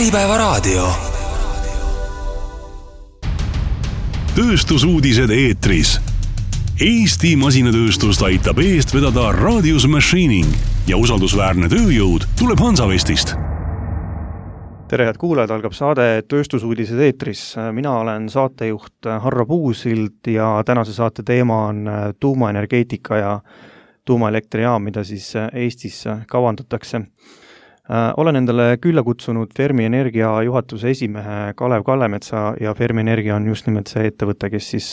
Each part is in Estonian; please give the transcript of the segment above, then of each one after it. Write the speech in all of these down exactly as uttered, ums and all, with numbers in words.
Äripäevaraadio. Tööstusuudised eetris. Eesti masinatööstust aitab eest vedada Radius Machining ja usaldusväärne tööjõud tuleb Hansavestist. Tere, head kuulajad, algab saade Tööstusuudised eetris. Mina olen saatejuht Harro Puusild ja tänase saate teema on tuumaenergeetika ja tuumaelektrijaam, mida siis Eestis kavandatakse. Olen endale külla kutsunud Fermi Energia juhatuse esimehe Kalev Kallemetsa ja Fermi Energia on just nimelt see ettevõte, kes siis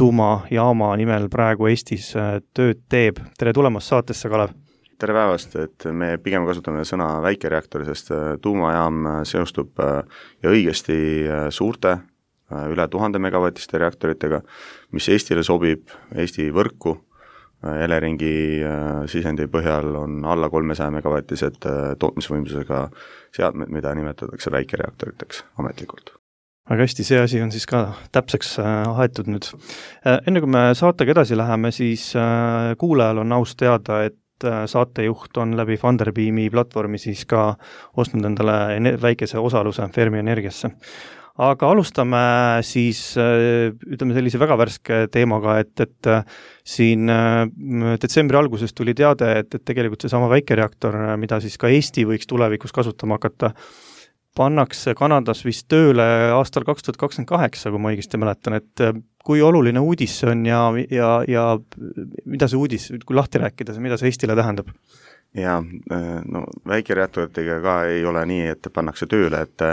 tuumajaama nimel praegu Eestis tööd teeb. Tere tulemast saatesse, Kalev! Tere päevast, et me pigem kasutame sõna väikereaktori, sest tuumajaam seostub ja õigesti suurte, üle tuhande megavatiste reaktoritega, mis Eestile sobib, Eesti võrku. Eleringi sisendi põhjal on alla kolmesaja megavatised tootmisvõimsusega seadmed, mida nimetatakse väikereaktoriteks ametlikult. Väga hästi, see asi on siis ka täpseks aetud nüüd. Enne kui me saatega edasi läheme, siis kuulajal on aus teada, et saatejuht on läbi Funderbeami platvormi siis ka ostnud endale väikese osaluse Fermi Energiasse. Aga alustame siis, ütleme sellise väga värske teemaga, et, et siin detsembri alguses tuli teade, et, et tegelikult see sama väikereaktor, mida siis ka Eesti võiks tulevikus kasutama hakata, pannakse Kanadas vist tööle aastal kaks tuhat kakskümmend kaheksa, kui ma õigesti mäletan, et kui oluline uudis see on ja, ja, ja mida see uudis, kui lahti rääkida, mida see Eestile tähendab? Ja no, väikereaktoritega ka ei ole nii, et pannakse tööle, et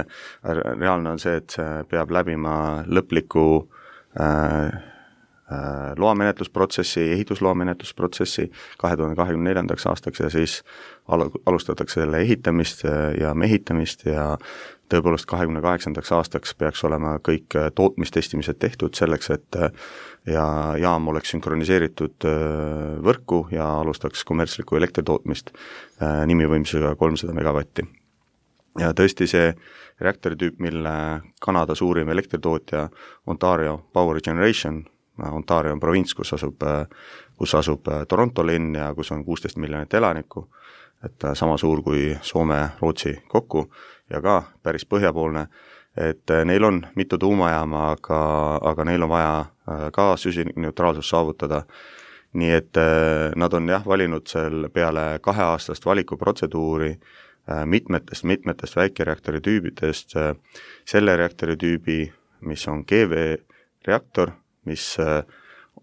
reaalne on see, et see peab läbima lõpliku äh, äh, loamenetlusprotsessi, ehitusloamenetlusprotsessi kahe tuhande kahekümne neljandaks aastaks ja siis al- alustatakse selle ehitamist ja mehitamist ja tõepoolest kahekümne kaheksandaks aastaks peaks olema kõik tootmistestimised tehtud selleks, et ja jaam oleks sünkroniseeritud võrku ja alustaks kommertslikku elektritootmist nimivõimsusega kolmsada megavatti. Ja tõesti see reaktoritüüp, mille Kanada suurim elektritootja Ontario Power Generation, Ontario on provints, kus asub, kus asub Toronto linn ja kus on kuusteist miljonit elanikku, et sama suur kui Soome, Rootsi kokku ja ka päris põhjapoolne, et neil on mitu tuumajaama, aga, aga neil on vaja ka süsinikneutraalsus saavutada. Nii et nad on jah valinud seal peale kaheaastast valikuprotseduuri mitmetest, mitmetest väikereaktori tüübidest selle reaktori tüübi, mis on G V reaktor, mis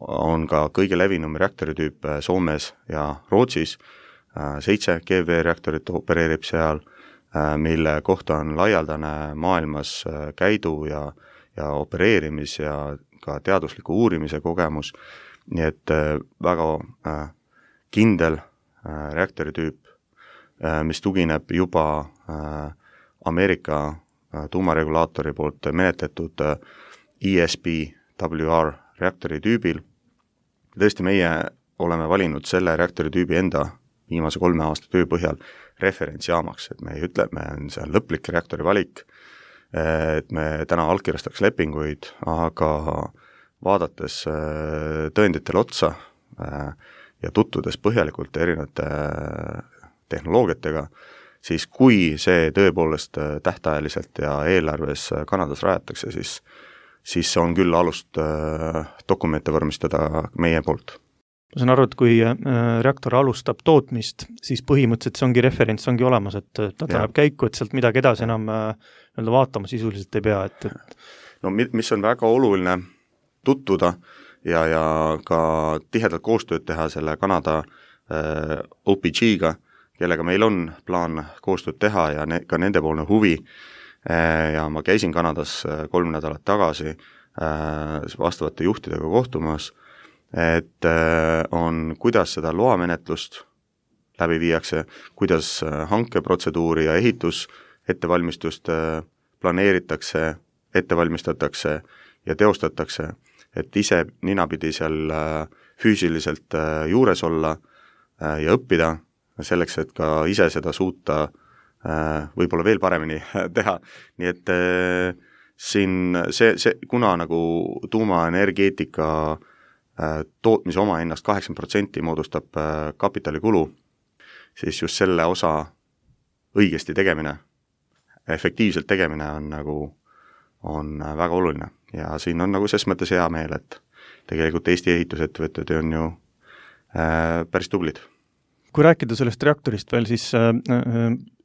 on ka kõige levinum reaktori tüüp Soomes ja Rootsis. Seitse G V reaktorit opereerib seal, mille kohta on laialdane maailmas käidu ja, ja opereerimis ja ka teadusliku uurimise kogemus. Nii et väga kindel reaktoritüüp, mis tugineb juba Ameerika tuumaregulaatori poolt menetletud E S P W R reaktori tüübil. Tõesti meie oleme valinud selle reaktori tüübi enda viimase kolme aasta töö põhjal referentsjaamaks, et me ei ütle, et me on see lõplik reaktori valik, et me täna allkirjastaks lepinguid, aga vaadates tõenditele otsa ja tutvudes põhjalikult erinevate tehnoloogiatega, siis kui see tõepoolest tähtajaliselt ja eelarves Kanadas rajatakse, siis, siis on küll alust dokumente vormistada meie poolt. Ma saan aru, et kui reaktor alustab tootmist, siis põhimõtteliselt see ongi referents, ongi olemas, et ta läheb käiku, et sealt midagi edasi enam nii-öelda vaatama sisuliselt ei pea. Et, et... No mis on väga oluline tutvuda ja, ja ka tihedalt koostööd teha selle Kanada äh, O P G-ga, kellega meil on plaan koostööd teha ja ne, ka nendepoolne huvi. Äh, ja ma käisin Kanadas kolm nädalat tagasi äh, vastavate juhtidega kohtumas, et on, kuidas seda loamenetlust läbi viiakse, kuidas hankeprotseduuri ja ehitus ettevalmistust planeeritakse, ettevalmistatakse ja teostatakse, et ise ninapidi seal füüsiliselt juures olla ja õppida selleks, et ka ise seda suuta võib-olla veel paremini teha. Nii et siin see, see, kuna nagu tuumaenergeetika tootmise oma hinnast kaheksakümmend protsenti moodustab kapitalikulu, siis just selle osa õigesti tegemine efektiivselt tegemine on nagu, on väga oluline ja siin on nagu ses mõttes hea meel, et tegelikult Eesti ehitusettevõtted on ju äh, päris tublid. Kui rääkida sellest reaktorist veel, siis äh,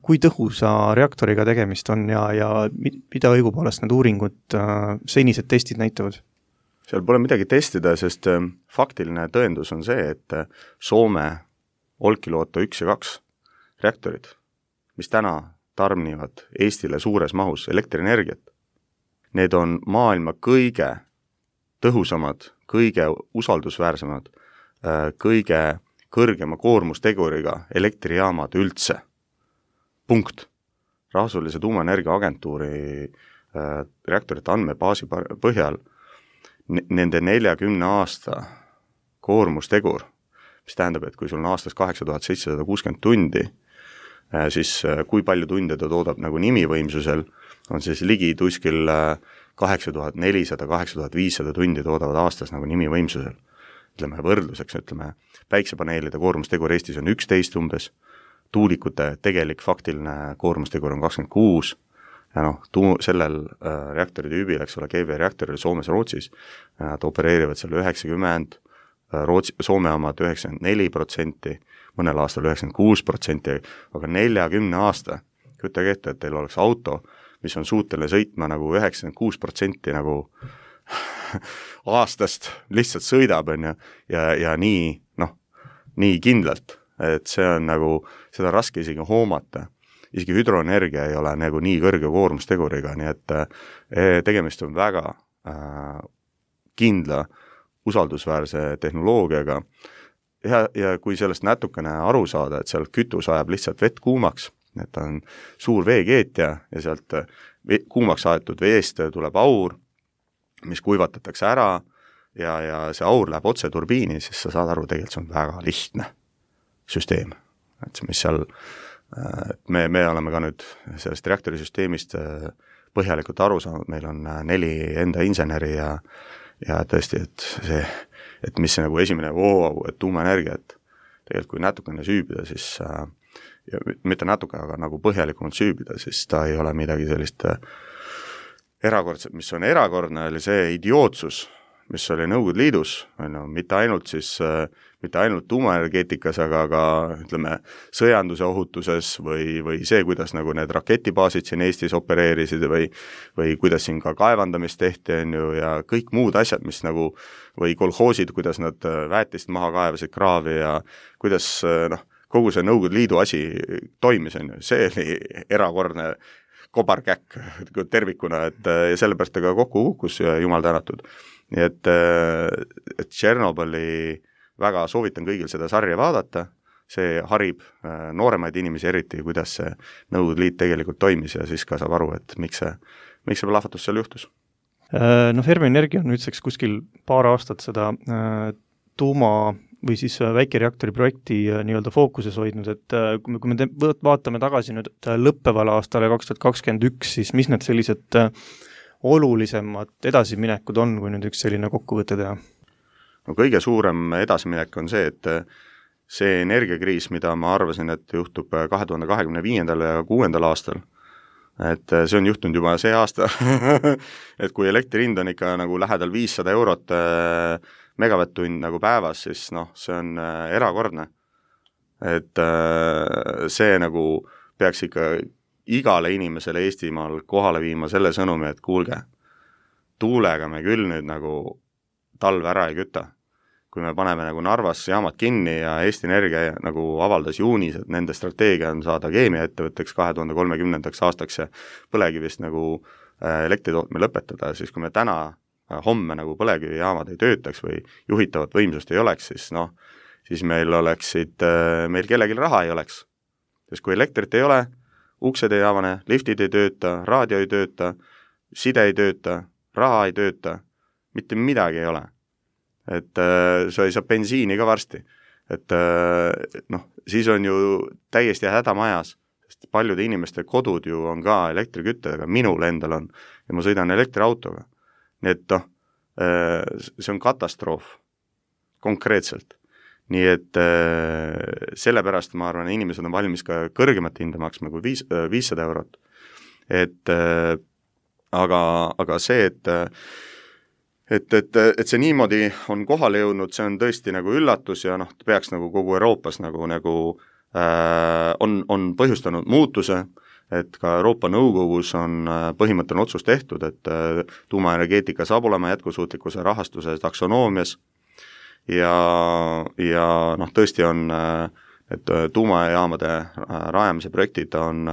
kui tõhusa reaktoriga tegemist on ja, ja mida õigupoolest need uuringud, äh, senised testid näitavad? Seal pole midagi testida, sest äh, faktiline tõendus on see, et äh, Soome Olkiluoto üks ja kaks reaktorid, mis täna tarnivad Eestile suures mahus elektrienergiat, need on maailma kõige tõhusamad, kõige usaldusväärsemad, äh, kõige kõrgema koormusteguriga elektrijaamad üldse. Punkt. Rahvusvahelise tuumaenergia agentuuri äh, reaktorite andmebaasi põhjal n- nende neljakümne aasta koormustegur, mis tähendab, et kui sul on aastas kaheksa tuhat seitsesada kuuskümmend tundi, äh, siis äh, kui palju tunde ta toodab nagu nimivõimsusel, on siis ligi tuskil äh, kaheksa tuhat nelisada, kaheksa tuhat viissada tundi toodavad aastas nagu nimivõimsusel. Ütleme võrdluseks, ütleme, päiksepaneelide koormustegur Eestis on üksteist umbes, tuulikute tegelik faktiline koormustegur on kakskümmend kuus ja noh, tuu, sellel äh, reaktori tüübil, eks ole, G V reaktoril Soomes Rootsis, nad opereerivad seal üheksakümmend, Rootsi, Soome omad üheksakümmend neli protsenti, mõnel aastal üheksakümmend kuus protsenti, aga neljakümne aasta, kujutage ette, et teil oleks auto, mis on suuteline sõitma nagu üheksakümmend kuus protsenti nagu aastast lihtsalt sõidab, on ju, ja, ja nii, noh, nii kindlalt, et see on nagu, seda raske isegi hoomata. Isegi hüdroenergia ei ole nagu nii kõrge koormusteguriga, nii et eh, tegemist on väga äh, kindla, usaldusväärse tehnoloogiaga. Ja, ja kui sellest natukene aru saada, et sealt kütus ajab lihtsalt vett kuumaks, et on suur veekeetja ja sealt kuumaks aetud veest tuleb aur, mis kuivatatakse ära ja, ja see aur läheb otse turbiini, siis sa saad aru, tegelikult see on väga lihtne süsteem. Et mis seal, et me, me oleme ka nüüd sellest reaktorisüsteemist põhjalikult aru saanud, meil on neli enda inseneri ja, ja tõesti, et see, et mis see nagu esimene wow, et tuumaenergia, et tegelikult kui natukene süübida, siis ja mitte natuke, aga nagu põhjalikumalt süübida, siis ta ei ole midagi sellist erakordset, mis on erakordne, oli see idiootsus, mis oli Nõukogude Liidus, no, mitte ainult siis, mitte ainult tuumaenergeetikas, aga ka ütleme, sõjanduse ohutuses või, või see, kuidas nagu need raketibaasid siin Eestis opereerisid või, või kuidas siin ka kaevandamist tehti, on ju, ja kõik muud asjad, mis nagu, või kolhoosid, kuidas nad väetist maha kaevasid kraavi ja kuidas, noh, kogu see Nõukogude Liidu asi toimis, on ju, see oli erakordne kobarkäkk tervikuna, et ja sellepärast ta ka kokku kukkus, jumal tänatud. Nii et, et Tšernobõli väga soovitan kõigil seda sarja vaadata, see harib nooremaid inimesi eriti, kuidas see Nõukogude Liit tegelikult toimis ja siis ka saab aru, et miks see, miks see plahvatus seal juhtus. No Fermi Energia on nüüdseks kuskil paar aastat seda tuuma või siis väikereaktori projekti nii-öelda fookuses hoidnud, et kui me, kui me te, vaatame tagasi nüüd lõppeval aastale kaks tuhat kakskümmend üks, siis mis need sellised olulisemad edasiminekud on, kui nüüd üks selline kokkuvõte teha? No kõige suurem edasiminek on see, et see energiakriis, mida ma arvasin, et juhtub kahe tuhande kahekümne viiendal ja kuuendal aastal, et see on juhtunud juba see aasta, et kui elektri hind on ikka nagu lähedal viissada eurot megavatt-tund nagu päevas, siis noh, see on äh, erakordne. Et äh, see nagu peaks ikka igale inimesele Eestimaal kohale viima selle sõnumi, et kuulge, tuulega me küll nüüd nagu talve ära ei küta. Kui me paneme nagu Narvas jaamad kinni ja Eesti Energia nagu avaldas juunis, et nende strateegia on saada keemiaettevõtteks kahe tuhande kolmekümnendaks aastaks ja põlevkivist nagu äh, elektritootme lõpetada, siis kui me täna homme nagu põlevkivijaamad ei töötaks või juhitavat võimsust ei oleks, siis noh, siis meil oleksid, meil kellelgi raha ei oleks. Sest kui elektrit ei ole, uksed ei avane, liftid ei tööta, raadio ei tööta, side ei tööta, raha ei tööta, mitte midagi ei ole. Et sa ei saa bensiini ka varsti. Et noh, siis on ju täiesti hädamajas, sest paljude inimeste kodud ju on ka elektriküttedega, minul endal on ja ma sõidan elektriautoga. Nii et noh, see on katastroof konkreetselt. Nii et sellepärast ma arvan, inimesed on valmis ka kõrgemat hinda maksma kui viissada eurot. et aga, aga see, et et, et, et see niimoodi on kohale jõudnud, see on tõesti nagu üllatus ja noh, peaks nagu kogu Euroopas nagu, nagu äh, on, on põhjustanud muutuse, et ka Euroopa Nõukogus on põhimõtteline otsus tehtud, et tuumaenergeetika saab olema jätkusuutlikkuse rahastuse taksonoomias ja, ja noh, tõesti on, et tuumajaamade rajamise projektid on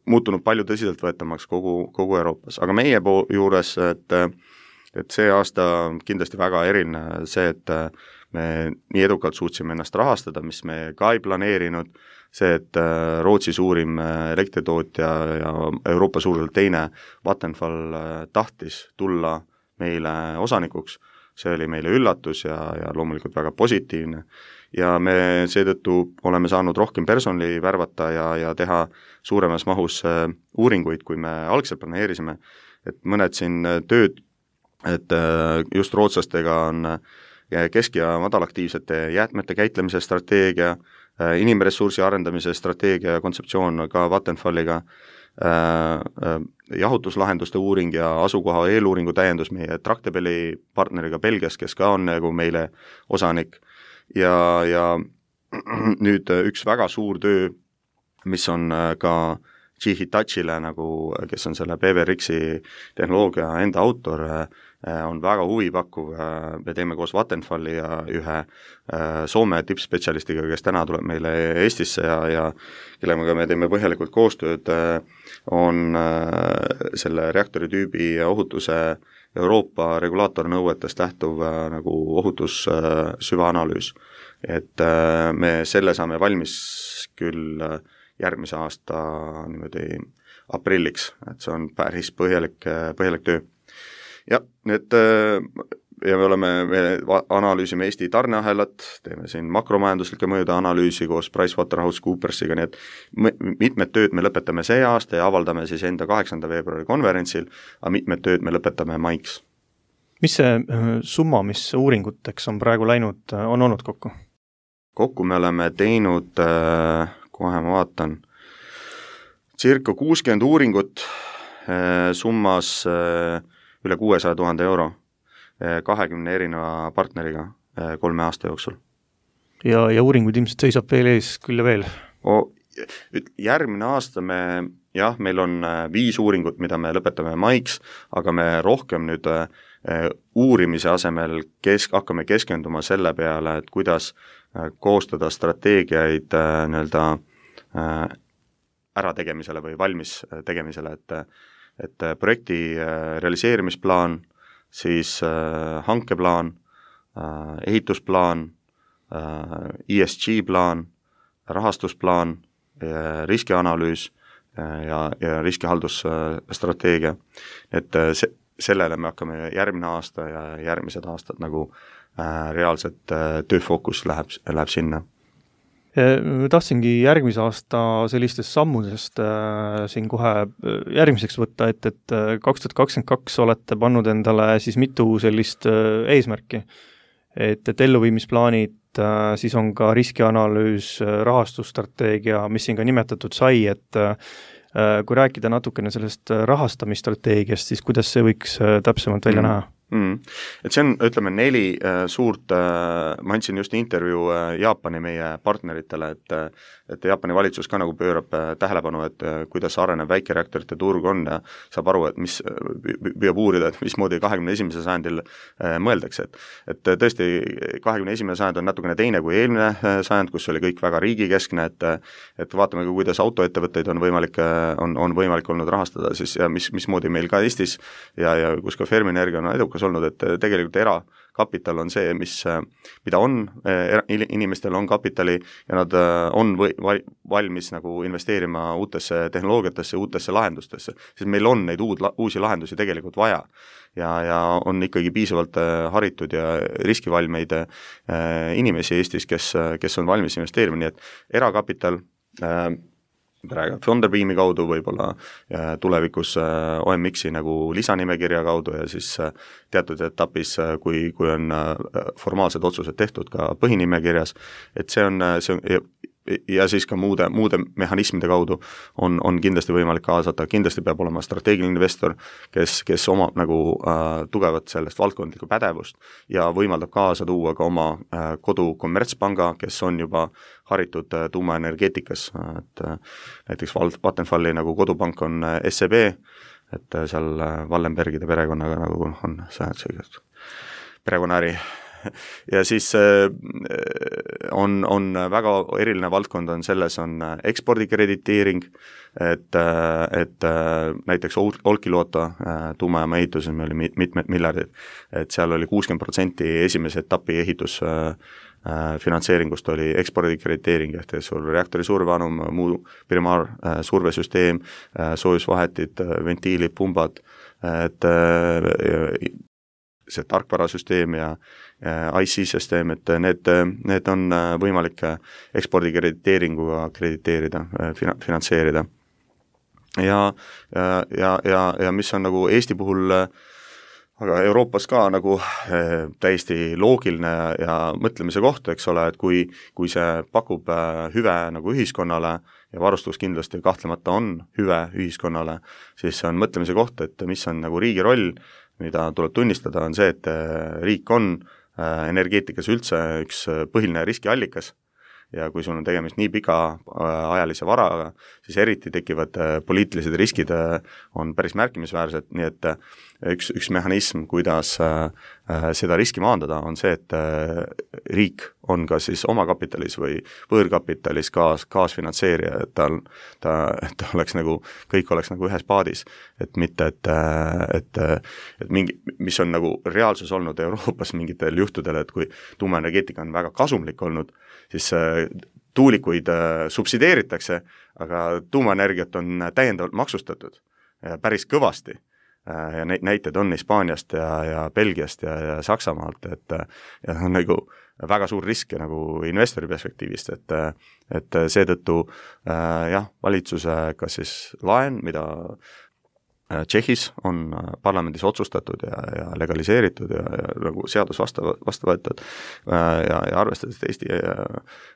muutunud palju tõsiseltvõetamaks kogu, kogu Euroopas, aga meie pool juures, et et see aasta kindlasti väga eriline see, et me nii edukalt suutsime ennast rahastada, mis me ka ei planeerinud, see, et Rootsi suurim elektritootja ja Euroopa suurelt teine Vattenfall tahtis tulla meile osanikuks, see oli meile üllatus ja, ja loomulikult väga positiivne. Ja me seetõttu oleme saanud rohkem personali värvata ja, ja teha suuremas mahus uuringuid, kui me algselt planeerisime, et mõned siin tööd, et just rootslastega on kesk- ja madalaktiivsete jäätmete käitlemise strateegia, inimressursi arendamise strateegia ja kontseptsioon ka Vattenfalliga, jahutuslahenduste uuring ja asukoha eeluuringu täiendus meie Tractebeli partneriga Belgias, kes ka on nagu meile osanik ja, ja nüüd üks väga suur töö, mis on ka G Hitachile, nagu, kes on selle B W R X-i tehnoloogia enda autor, on väga huvipakkuv, me teeme koos Vattenfalli ja ühe Soome tippspetsialistiga, kes täna tuleb meile Eestisse ja, ja kellega me teeme põhjalikult koostööd, on selle reaktori tüübi ohutuse Euroopa regulaatornõuetest lähtuv nagu ohutus süvaanalüüs. Et me selle saame valmis küll järgmise aasta niimoodi aprilliks, et see on päris põhjalik, põhjalik töö. Ja, need, ja me oleme, me analüüsime Eesti tarneahelat, teeme siin makromajanduslikke mõjude analüüsi koos PricewaterhouseCoopersiga, nii et mitmed tööd me lõpetame see aasta ja avaldame siis enda kaheksanda veebruari konverentsil, aga mitmed tööd me lõpetame maiks. Mis see summa, mis uuringuteks on praegu läinud, on olnud kokku? Kokku me oleme teinud, kohe ma vaatan, circa kuuskümmend uuringut summas üle kuuesaja tuhande euro kahekümne erineva partneriga kolme aasta jooksul. Ja, ja uuringuid ilmselt seisab veel ees küll ja veel? O, järgmine aasta me, jah, meil on viis uuringut, mida me lõpetame maiks, aga me rohkem nüüd uurimise asemel kesk, hakkame keskenduma selle peale, et kuidas koostada strateegiaid nii-öelda ärategemisele või valmis tegemisele, et et projekti realiseerimisplaan, siis hankeplaan, ehitusplaan, E S G plaan, rahastusplaan, riskianalüüs ja, ja riskihaldusstrateegia. Et se, sellele me hakkame järgmine aasta ja järgmised aastad nagu reaalselt tööfookus läheb, läheb sinna. Tahtsingi järgmise aasta sellistest sammudest äh, siin kohe järgmiseks võtta, et, et kaks tuhat kakskümmend kaks olete pannud endale siis mitu sellist äh, eesmärki, et, et elluviimisplaanid, äh, siis on ka riskianalüüs, rahastusstrateegia, mis siin ka nimetatud sai, et äh, kui rääkida natukene sellest rahastamisstrateegiast, siis kuidas see võiks äh, täpsemalt välja mm. näha? Mm. Et see on, ütleme, neli äh, suurt, äh, ma andsin just intervjuu äh, Jaapani meie partneritele, et, et Jaapani valitsus ka nagu pöörab äh, tähelepanu, et äh, kuidas areneb väikereaktorite turg on ja saab aru, et mis, püüab uurida, et mismoodi kahekümne esimesel sajandil äh, mõeldakse. Et, et tõesti, kahekümne esimene sajand on natukene teine kui eelmine äh, sajand, kus oli kõik väga riigikeskne, et, et vaatame, kuidas autoettevõtteid on võimalik, on, on võimalik olnud rahastada siis ja mis, mismoodi meil ka Eestis ja, ja kus ka Fermi-Energia on edukas olnud, et tegelikult erakapital on see, mis, mida on, inimestel on kapitali ja nad on või, valmis nagu investeerima uutesse tehnoloogiatesse, uutesse lahendustesse, sest meil on neid uud, uusi lahendusi tegelikult vaja ja, ja on ikkagi piisavalt haritud ja riskivalmeid inimesi Eestis, kes, kes on valmis investeerima, nii et erakapital praegu Thunderbeami kaudu, võib-olla tulevikus O M X-i nagu lisanimekirja kaudu ja siis teatud etapis, kui, kui on formaalsed otsused tehtud ka põhinimekirjas, et see on, see on ja siis ka muude, muude mehhanismide kaudu on, on kindlasti võimalik kaasata, kindlasti peab olema strateegiline investor, kes, kes omab nagu äh, tugevat sellest valdkondlikku pädevust ja võimaldab kaasa tuua ka oma äh, kodu kommertspanga, kes on juba haritud äh, tuumaenergeetikas, et äh, näiteks Vattenfalli nagu kodupank on äh, S E B, et äh, seal äh, Wallenbergide perekonnaga nagu on see, see perekonnaäri. Ja siis on, on väga eriline valdkond on selles, on ekspordikrediteering, et, et näiteks Olkiluoto tuumajaama ehituses meil oli mitmed miljardid, et seal oli kuuskümmend protsenti esimese etapi ehitus finantseeringust oli ekspordikrediteering, ehk sul reaktori surveanum, muu primaar survesüsteem, soojusvahetid, ventiilid, pumbad, et see tarkvarasüsteem ja I C-süsteem, et need, need on võimalik ekspordikrediteeringuga krediteerida, finantseerida. Ja, ja, ja, ja mis on nagu Eesti puhul, aga Euroopas ka nagu täiesti loogiline ja, ja mõtlemise koht, eks ole, et kui, kui see pakub hüve nagu ühiskonnale ja varustus kindlasti kahtlemata on hüve ühiskonnale, siis on mõtlemise koht, et mis on nagu riigi roll, mida tuleb tunnistada, on see, et riik on energeetikas üldse üks põhiline riskiallikas ja kui sul on tegemist nii pika ajalise varaga, siis eriti tekivad poliitilised riskid on päris märkimisväärsed, nii et üks, üks mehhanism, kuidas seda riski maandada, on see, et riik on ka siis omakapitalis või võõrkapitalis kaas, kaasfinantseerija, et tal, ta, ta oleks nagu, kõik oleks nagu ühes paadis, et mitte, et, et, et mingi, mis on nagu reaalsus olnud Euroopas mingitel juhtudel, et kui tuumaenergeetika on väga kasumlik olnud, siis tuulikuid subsideeritakse, aga tuumaenergiat on täiendavalt maksustatud päris kõvasti. Ja näited on Hispaaniast ja, ja Belgiast ja, ja Saksamaalt, et ja on nagu väga suur risk nagu investori perspektiivist, et, et seetõttu jah, valitsuse kas siis laen, mida Tšehhis on parlamendis otsustatud ja, ja legaliseeritud ja, ja nagu seadus vastu, vastu võetud ja, ja arvestades, et Eesti,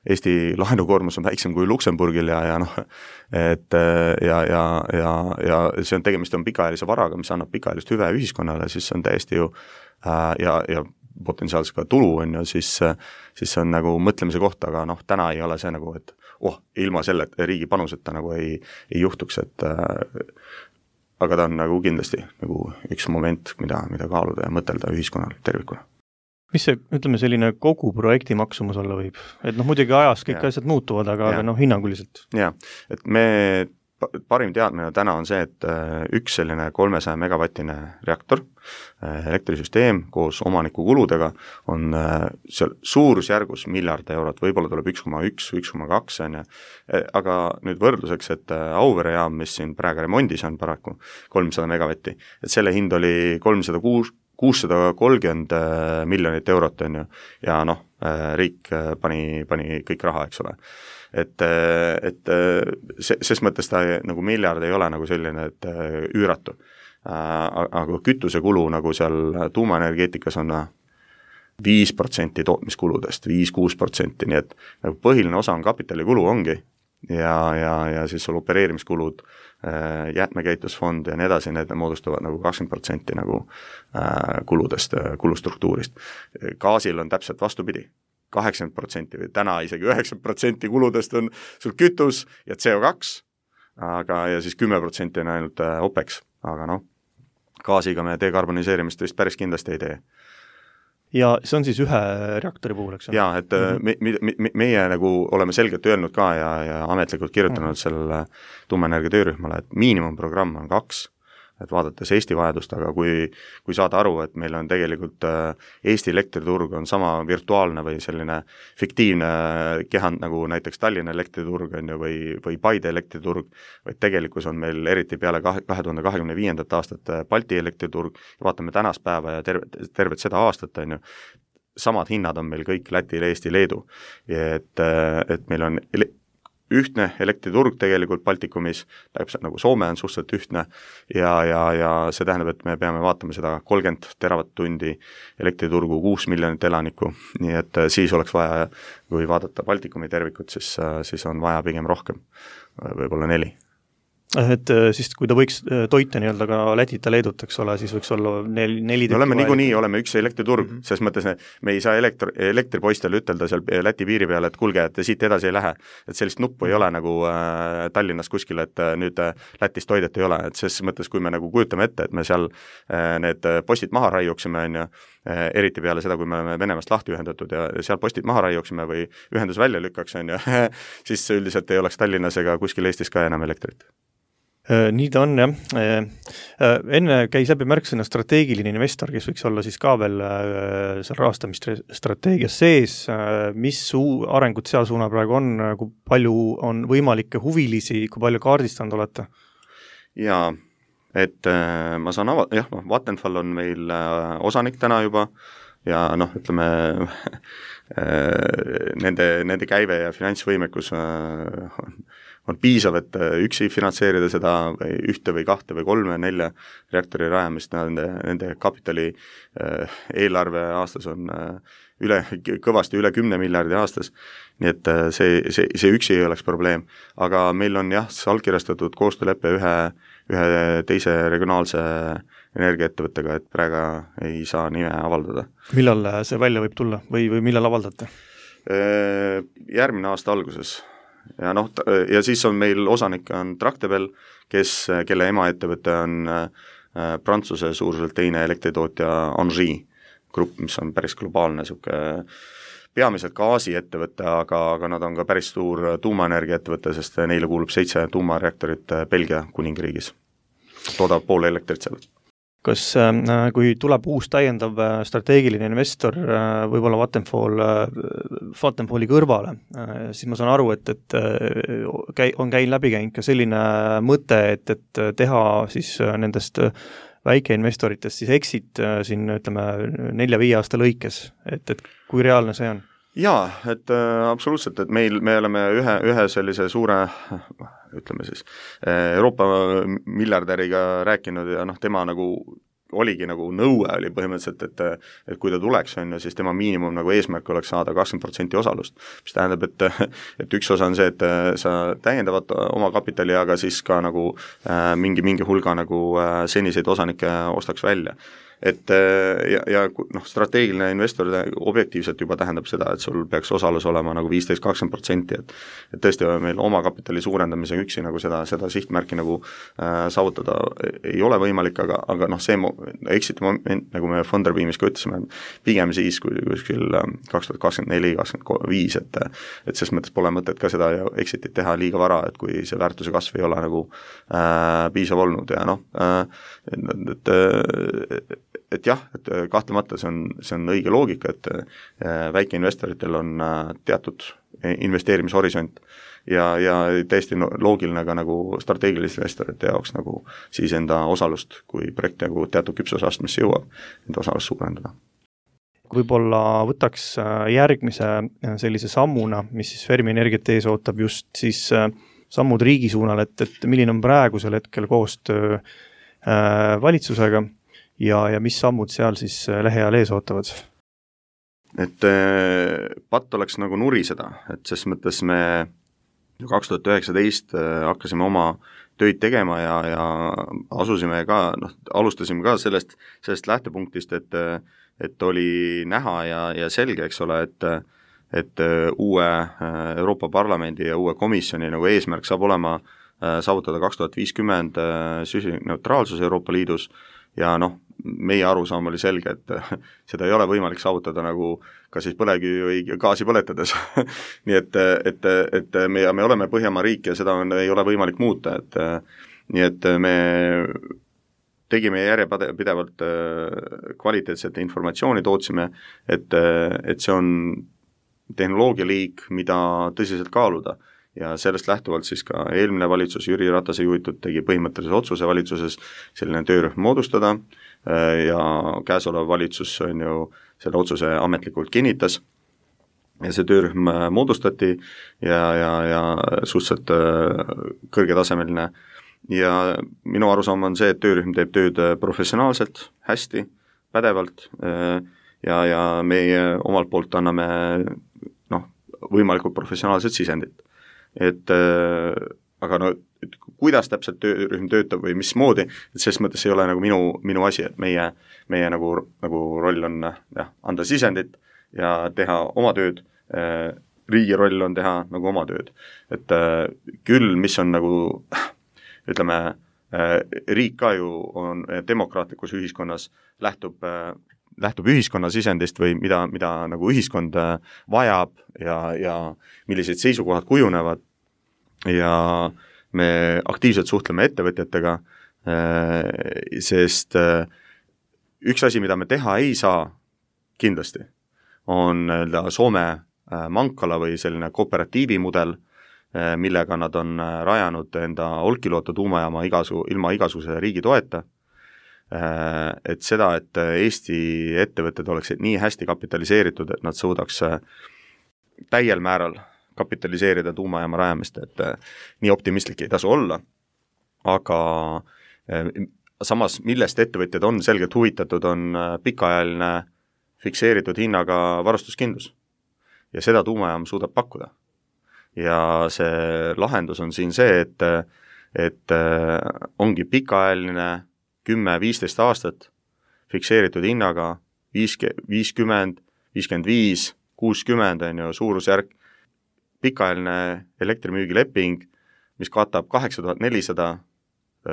Eesti laenukoormus on väiksem kui Luksemburgil ja, ja noh, et ja, ja, ja, ja see on tegemist on pikaajalise varaga, mis annab pikaajalist hüve ühiskonnale, siis on täiesti ju ja, ja potentsiaalselt ka tulu on ju, siis, siis on nagu mõtlemise koht, aga noh, täna ei ole see nagu, et oh, ilma selle riigi panuseta nagu ei, ei juhtuks, et aga ta on nagu kindlasti nagu üks moment, mida, mida kaaluda ja mõtelda ühiskonnal tervikuna. Mis see, ütleme, selline kogu projekti maksumus olla võib? Et noh, muidugi ajas kõik ja. asjad muutuvad, aga, aga noh, hinnanguliselt. Jaa, et me parim teadmine täna on see, et üks selline kolmesaja megavatine reaktor, elektrisüsteem koos omaniku kuludega on seal suurusjärgus miljard eurot, võib-olla tuleb üks koma üks, üks koma kaks, aga nüüd võrdluseks, et Auvere jaam, mis siin praegu remondis on paraku kolmsada megavatti, et selle hind oli kolmsada kuus, kuussada kolmkümmend miljonit eurot on ju, ja noh, riik pani, pani kõik raha, eks ole. Et, et see, ses mõttes ta nagu miljard ei ole nagu selline, et üüratu. Aga kütusekulu nagu seal tuumaenergeetikas on viis protsenti tootmiskuludest, viis kuni kuus protsenti, nii et nagu põhiline osa on kapitalikulu ongi ja, ja, ja siis sul opereerimiskulud, jäätmekäitlusfond ja nii edasi, need moodustavad nagu kakskümmend protsenti nagu kuludest, kulustruktuurist. Gaasil on täpselt vastupidi. kaheksakümmend protsenti või täna isegi üheksakümmend protsenti kuludest on sul kütus ja C O kaks, aga ja siis kümme protsenti on ainult OPEX, aga noh, gaasiga me dekarboniseerimist vist päris kindlasti ei tee. Ja see on siis ühe reaktori puhul, eks? Jaa, et me, me, me, meie nagu oleme selgelt öelnud ka ja, ja ametlikult kirjutanud sellele tuumaenergia töörühmale, et miinimumprogramm on kaks, et vaadates Eesti vajadust, aga kui, kui saada aru, et meil on tegelikult Eesti elektriturg on sama virtuaalne või selline fiktiivne kehand nagu näiteks Tallinna elektriturg on ju, või, või Paide elektriturg, vaid tegelikkus on meil eriti peale kahe tuhande kahekümne viiendat aastat Balti elektriturg, vaatame tänast päeva ja tervet, tervet seda aastat on ju, samad hinnad on meil kõik Lätil, Eesti, Leedu, et, et meil on ele- ühtne elektriturg tegelikult Baltikumis, täpselt nagu Soome on suhteliselt ühtne ja, ja, ja see tähendab, et me peame vaatama seda kolmkümmend teravatt-tundi elektriturgu, kuus miljonit elanikku, nii et siis oleks vaja, kui vaadata Baltikumi tervikut, siis, siis on vaja pigem rohkem, võib-olla neli. Et siis kui ta võiks toita nii-öelda ka Lätit ja Leedut, eks ole, siis võiks olla neli, neli me oleme niikuinii, oleme üks elektriturg, mm -hmm. selles mõttes me ei saa elektri, elektripoistele ütelda seal Läti piiri peal, et kuulge, et siit edasi ei lähe. Et sellist nuppu ei ole nagu äh, Tallinnas kuskil, et äh, nüüd äh, Lätis toidet ei ole, et ses mõttes, kui me nagu kujutame ette, et me seal äh, need postid maha raiuksime, on ju, äh, eriti peale seda, kui me oleme Venemaast lahti ühendatud ja seal postid maha raiuksime või ühendus välja lükkaks, on ju, siis üldiselt ei oleks Tallinnas ega kuskil Eestis ka enam elektrit. Nii ta on, jah. Enne käis läbi märksõna strateegiline investor, kes võiks olla siis ka veel seal rahastamisstrateegias sees, mis suu, arengud seal suuna praegu on, kui palju on võimalikke huvilisi, kui palju kaardistanud olete? Jaa, et ma saan ava-, jah, Vattenfall on meil osanik täna juba ja noh, ütleme, nende, nende käive ja finantsvõimekus on on piisav, et üksi finantseerida seda ühte või kahte või kolme, nelja reaktori rajamist, nende, nende kapitali eelarve aastas on üle, kõvasti üle kümne miljardi aastas, nii et see, see, see üksi ei oleks probleem. Aga meil on jah, allkirjastatud koostööleppe ühe, ühe teise regionaalse energiaettevõttega, et praegu ei saa nime avaldada. Millal see välja võib tulla või, või millal avaldate? Järgmine aasta alguses. Ja, noh, ja siis on meil osanik on Tractebel, kes, kelle emaettevõte on äh, Prantsuse suuruselt teine elektritootja Engie grupp, mis on päris globaalne suke, peamiselt gaasiettevõte, aga, aga nad on ka päris suur tuumaenergiaettevõte, sest neile kuulub seitse tuumareaktorit Belgia kuningriigis. Toodab pool elektrit seal. Kas kui tuleb uus täiendav strateegiline investor võib-olla Vattenfall, Vattenfalli kõrvale, siis ma saan aru, et, et on käin läbi käinud ka selline mõte, et, et teha siis nendest väikeinvestoritest siis exit siin ütleme nelja-viie aasta lõikes, et, et kui reaalne see on? Jaa, et äh, absoluutselt, et meil, me oleme ühe, ühe sellise suure, ütleme siis, Euroopa miljardäriga rääkinud ja noh, tema nagu oligi nagu nõue oli põhimõtteliselt, et, et kui ta tuleks, on ju, siis tema miinimum nagu eesmärk oleks saada kakskümmend protsenti osalust, mis tähendab, et, et üks osa on see, et sa täiendavad oma kapitali, aga siis ka nagu äh, mingi, mingi hulga nagu äh, seniseid osanikke ostaks välja. Et ja, ja noh, strateegiline investor objektiivselt juba tähendab seda, et sul peaks osalus olema nagu viisteist kakskümmend protsenti, et et tõesti meil oma kapitali suurendamise üksi nagu seda, seda sihtmärki nagu äh, saavutada ei ole võimalik, aga, aga noh, see exit moment, nagu me Funderbeamis ka ütlesime, pigem siis, kui kuskil kaks tuhat kakskümmend neli kakskümmend viis, et et ses mõttes pole mõtet ka seda exitit teha liiga vara, et kui see väärtuse kasv ei ole nagu äh, piisav olnud ja noh äh,, et, et et jah, et kahtlemata see on, see on õige loogika, et väikeinvestoritel on teatud investeerimishorisont ja, ja täiesti loogiline ka nagu strateegiliste investorite jaoks nagu siis enda osalust, kui projekt nagu teatud küpsusastmesse jõuab, enda osalust suurendada. Võib-olla võtaks järgmise sellise sammuna, mis siis Fermi Energiat ees ootab just siis sammud riigi suunal, et, et milline on praegusel hetkel koostöö valitsusega ja, ja mis sammud seal siis lähiajal ees ootavad? Et patt oleks nagu nuriseda, et ses mõttes me kaks tuhat üheksateist hakkasime oma töid tegema ja, ja asusime ka, noh, alustasime ka sellest, sellest lähtepunktist, et, et oli näha ja, ja selge, eks ole, et et uue Euroopa Parlamendi ja uue komisjoni nagu eesmärk saab olema saavutada kaks tuhat viiskümmend süsinikuneutraalsus Euroopa Liidus ja noh, meie arusaam oli selge, et seda ei ole võimalik saavutada nagu ka siis põlevkivi või gaasi põletades nii et, et, et me, me oleme Põhjamaa riik ja seda on, ei ole võimalik muuta, et nii et me tegime järjepidevalt kvaliteetset informatsiooni, tootsime, et, et see on tehnoloogialiik, mida tõsiselt kaaluda. Ja sellest lähtuvalt siis ka eelmine valitsus, Jüri Ratase juhitud, tegi põhimõttelise otsuse valitsuses selline töörühm moodustada ja käesolev valitsus on ju selle otsuse ametlikult kinnitas ja see töörühm moodustati ja, ja, ja suhteliselt kõrgetasemeline ja minu arusaam on see, et töörühm teeb tööd professionaalselt, hästi, pädevalt ja, ja meie omalt poolt anname noh, võimalikult professionaalset sisendit. Et aga no, et kuidas täpselt töörühm töötab või mismoodi, et selles mõttes ei ole nagu minu, minu asi, et meie, meie nagu, nagu roll on jah, anda sisendit ja teha oma tööd, riigi roll on teha nagu oma tööd. Et küll, mis on nagu, ütleme, riik ka ju on demokraatlikus ühiskonnas, lähtub, lähtub ühiskonna sisendist või mida, mida nagu ühiskond vajab ja, ja millised seisukohad kujunevad ja me aktiivselt suhtleme ettevõtjatega, sest üks asi, mida me teha ei saa kindlasti, on Soome Mankala või selline kooperatiivi mudel, millega nad on rajanud enda Olkiluoto tuumajaama igasu, ilma igasuguse riigi toeta, et seda, et Eesti ettevõtted oleksid nii hästi kapitaliseeritud, et nad suudaks täiel määral kapitaliseerida tuumajaama rajamist, et nii optimistlik ei tasu olla, aga samas, millest ettevõtjad on selgelt huvitatud, on pikaajaline fikseeritud hinnaga varustuskindlus ja seda tuumajaam suudab pakkuda. Ja see lahendus on siin see, et, et ongi pikaajaline kümme viisteist aastat fikseeritud hinnaga viiskümmend, viiskümmend viis, kuuskümmend on ju suurusjärk, pikaajaline elektrimüügileping, mis katab kaheksa tuhat nelisada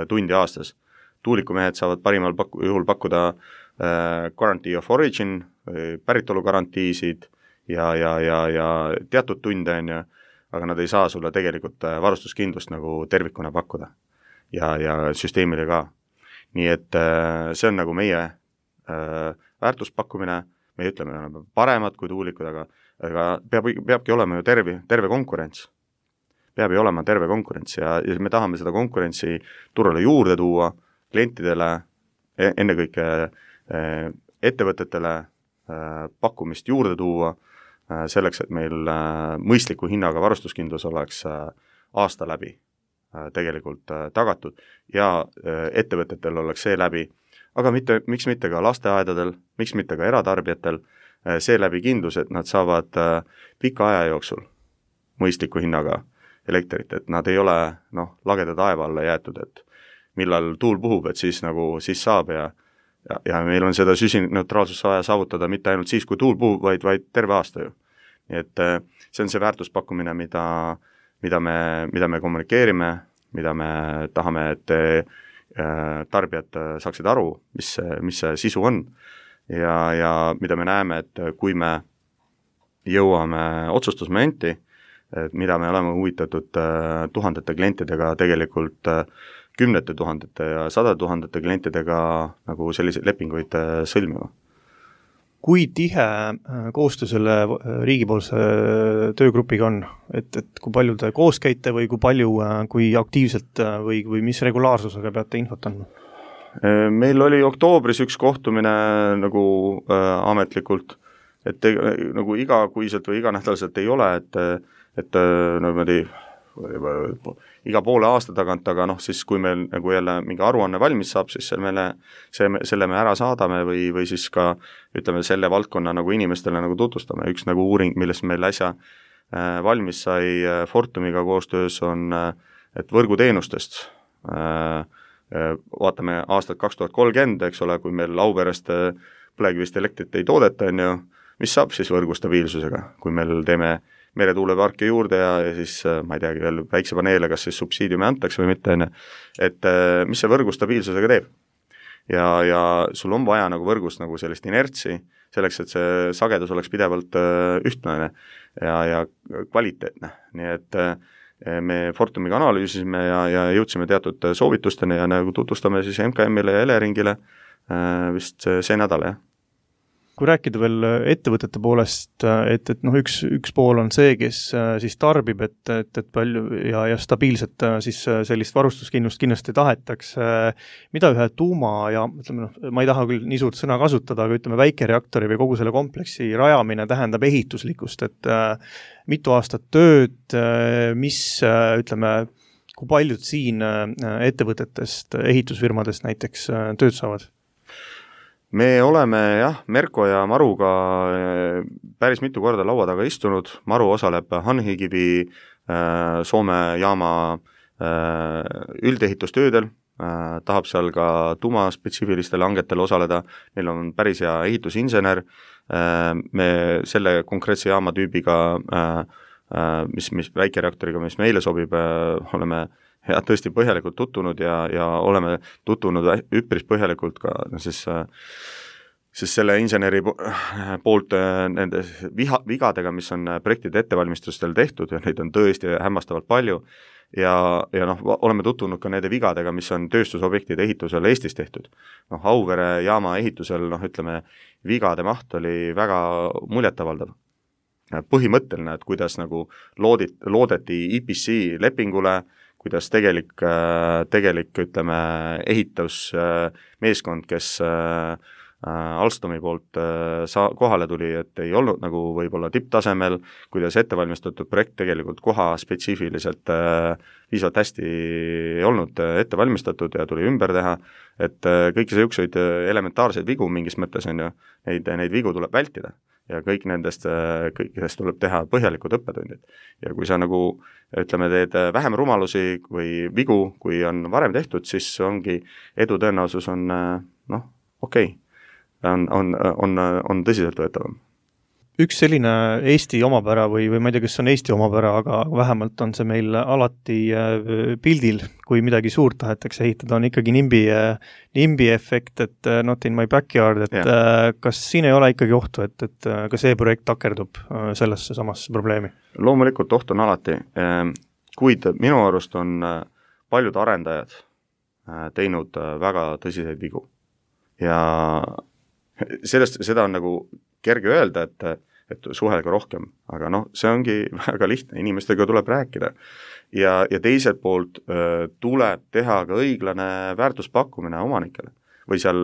tundi aastas. Tuulikumehed saavad parimal paku, juhul pakkuda äh, guarantee of origin, päritolu garantiisid ja, ja, ja, ja teatud tunde on ju, aga nad ei saa sulle tegelikult varustuskindlust nagu tervikuna pakkuda ja, ja süsteemile ka. Nii et äh, see on nagu meie äh, väärtuspakkumine, me ütleme, me oleme paremad kui tuulikud, aga, aga peab, peabki olema ju terve, terve konkurents. Peab ju olema terve konkurents ja, ja me tahame seda konkurentsi turule juurde tuua, klientidele, ennekõike ettevõtetele pakkumist juurde tuua, selleks, et meil mõistliku hinnaga varustuskindlus oleks aasta läbi tegelikult tagatud ja ettevõtetel oleks see läbi, aga mitte, miks mitte ka lasteaedadel, miks mitte ka eratarbijatel, see läbi kindlus, et nad saavad pika aja jooksul mõistliku hinnaga elektrit, et nad ei ole noh, lageda taeva alla jäetud, et millal tuul puhub, et siis nagu siis saab ja, ja, ja meil on seda süsinikneutraalsust vaja saavutada mitte ainult siis, kui tuul puhub, vaid, vaid terve aasta ju. Nii et see on see väärtuspakkumine, mida, mida, me, mida me kommunikeerime, mida me tahame, et tarbijad saaksid aru, mis, mis see sisu on ja, ja mida me näeme, et kui me jõuame otsustusmomenti, et mida me oleme huvitatud tuhandete klientidega tegelikult kümnete tuhandete ja sada tuhandete klientidega nagu selliseid lepinguid sõlmima. Kui tihe koostöö selle riigipoolse töögrupiga on? Et, et kui palju te koos käite või kui palju, kui aktiivselt või, või mis regulaarsusega peate infot andma? Meil oli oktoobris üks kohtumine nagu äh, ametlikult, et te, nagu igakuiselt või iganädalaselt ei ole, et, et no, niimoodi iga poole aasta tagant, aga noh, siis kui meil nagu jälle mingi aruanne valmis saab, siis selle me, see, selle me ära saadame või, või siis ka ütleme selle valdkonna nagu inimestele nagu tutvustame. Üks nagu uuring, millest meil äsja äh, valmis sai äh, Fortumiga koostöös on, äh, et võrguteenustest äh, äh, vaatame aastat kaks tuhat kolmkümmend, eks ole, kui meil Auverest äh, põlevkivist elektrit ei toodeta, on ju, mis saab siis võrgu stabiilsusega, kui meil teeme meretuuleparke juurde ja, ja siis ma ei teagi veel päiksepaneele, kas siis subsiidiumi antakse või mitte, et mis see võrgu stabiilsusega teeb. Ja, ja sul on vaja nagu võrgus nagu sellist inertsi, selleks, et see sagedus oleks pidevalt ühtne ja, ja kvaliteetne. Nii et me Fortumiga analüüsisime ja, ja jõudsime teatud soovitusteni ja nagu tutvustame siis M K M-ile ja Eleringile vist see nädal, jah. kui rääkida veel ettevõtete poolest, et, et noh, üks, üks pool on see, kes siis tarbib, et, et, et palju ja, ja stabiilset siis sellist varustuskindlust kindlasti tahetakse, mida ühe tuuma ja ütleme, noh, ma ei taha küll nii suurt sõna kasutada, aga ütleme väikereaktori või kogu selle kompleksi rajamine tähendab ehituslikust, et äh, mitu aastat tööd, mis äh, ütleme, kui paljud siin äh, ettevõtetest, ehitusfirmadest näiteks äh, tööd saavad? Me oleme jah, Merko ja Maruga päris mitu korda laua taga istunud, Maru osaleb Hanhikivi Soome jaama üldehitustöödel, tahab seal ka tuumaspetsiifilistel hangetel osaleda, neil on päris hea ehitusinsener, me selle konkreetse jaama tüübiga, mis, mis väikereaktoriga, mis meile sobib, oleme ja tõesti põhjalikult tutvunud ja, ja oleme tutvunud üpris põhjalikult ka no siis, siis selle inseneri poolt nende viha, vigadega, mis on projektide ettevalmistustel tehtud ja neid on tõesti hämmastavalt palju ja, ja noh, oleme tutvunud ka nende vigadega, mis on tööstusobjektide ehitusel Eestis tehtud. Noh, Auvere jaama ehitusel, noh ütleme, vigade maht oli väga muljetavaldav. Põhimõtteline, et kuidas nagu loodit, loodeti I P C lepingule, kuidas tegelik, tegelik ütleme, ehitusmeeskond, kes Alstomi poolt sa-, kohale tuli, et ei olnud nagu võib-olla tipptasemel, kuidas ettevalmistatud projekt tegelikult koha spetsiifiliselt viisavalt hästi ei olnud ettevalmistatud ja tuli ümber teha, et kõiki selliseid elementaarseid vigu mingis mõttes on ju, neid, neid vigu tuleb vältida. Ja kõik nendest, kõikidest tuleb teha põhjalikud õppetundid. Ja kui sa nagu, ütleme, teed vähem rumalusi või vigu, kui on varem tehtud, siis ongi edu tõenäosus on, noh, okei, okay. on, on, on, on tõsiselt võetavam. Üks selline Eesti omapära või, või ma ei tea, kas on Eesti omapära, aga vähemalt on see meil alati pildil, kui midagi suurt tahetakse ehitada, on ikkagi nimbi, nimbi efekt, et not in my backyard, et yeah. Kas siin ei ole ikkagi ohtu, et, et ka see projekt takerdub sellesse samasse probleemi? Loomulikult oht on alati, kuid minu arust on paljud arendajad teinud väga tõsiseid vigu ja sellest, seda on nagu kerge öelda, et, et suhelge rohkem, aga noh, see ongi väga lihtne, inimestega tuleb rääkida. Ja, ja teiselt poolt öö, tuleb teha ka õiglane väärtuspakkumine omanikele või seal